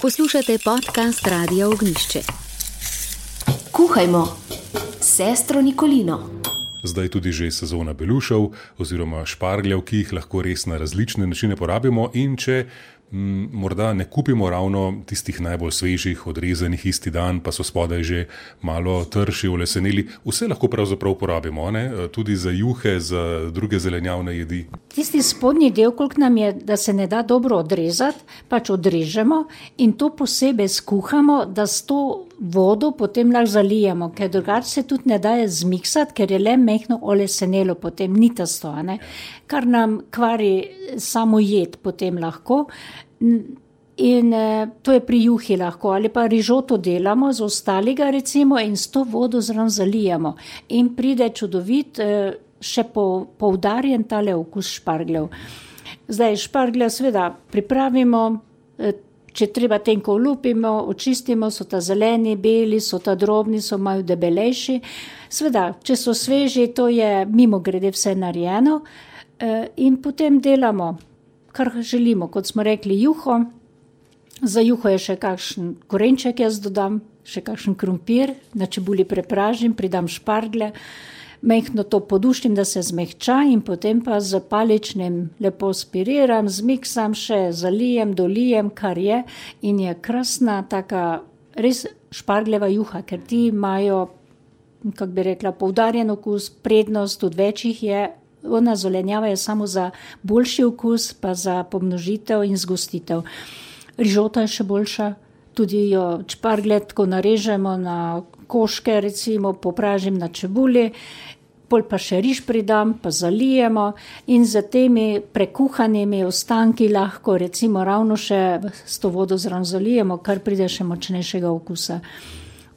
Poslušate podcast Radia Ognjišče. Kuhajmo s sestro Nikolino. Zdaj tudi že sezona belušev oziroma špargljev, ki jih lahko res na različne načine porabimo, in če morda ne kupimo ravno tistih najbolj svežih, odrezanih isti dan, pa so spodaj že malo trši, oleseneli, vse lahko pravzaprav porabimo, ne? Tudi za juhe, za druge zelenjavne jedi. Tisti spodnji del, koliko nam je, da se ne da dobro odrezati, pač odrežemo in to posebej skuhamo, da s to vodo potem lahko zalijemo, ker drugače se tudi ne daje zmiksati, ker je le mehno olesenelo, potem ni tasto, ne? Kar nam kvari samo jed potem lahko. In to je pri juhi lahko, ali pa rižoto delamo z ostalega recimo in s to vodo zraven zalijamo. In pride čudovit, še poudarjen tale okus špargljev. Zdaj šparglje seveda pripravimo, če treba tenko olupimo, očistimo, so ta zeleni, beli, so ta drobni, so malo debelejši. Seveda, če so sveži, to je mimogrede vse narejeno in potem delamo, kar želimo, kot smo rekli, juho. Za juho je še kakšen korenček, jaz dodam, še kakšen krompir, na čebuli prepražim, pridam šparglje, mehno to poduštim, da se zmehča in potem pa z paličnim lepo spiriram, zmiksam še, zalijem, dolijem, kar je in je krasna taka res špargljeva juha, ker ti imajo, kako bi rekla, poudarjen okus, prednost, tudi večjih je. Ona zelenjava je samo za boljši okus, pa za pomnožitev in zgostitev. Rižota je še boljša, tudi jo šparglje tako narežemo na koške, recimo popražim na čebuli, pol pa še riž pridam, pa zalijemo in za temi prekuhanimi ostanki lahko recimo ravno še s to vodo zraven zalijemo, kar pride še močnejšega okusa.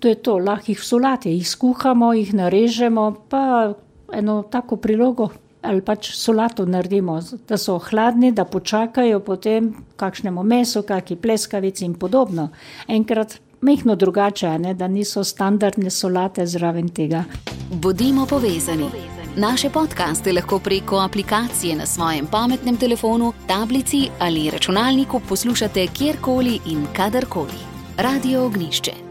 To je to, lahko jih v solati, jih skuhamo, jih narežemo, pa eno tako prilogo ali pač solato naredimo, da so hladni, da počakajo potem kakšnemu mesu, kaki pleskavici in podobno. Enkrat mehno drugače, ne, da niso standardne solate zraven tega. Bodimo povezani. Naše podcaste lahko preko aplikacije na svojem pametnem telefonu, tablici ali računalniku poslušate kjerkoli in kadarkoli. Radio Ognjišče.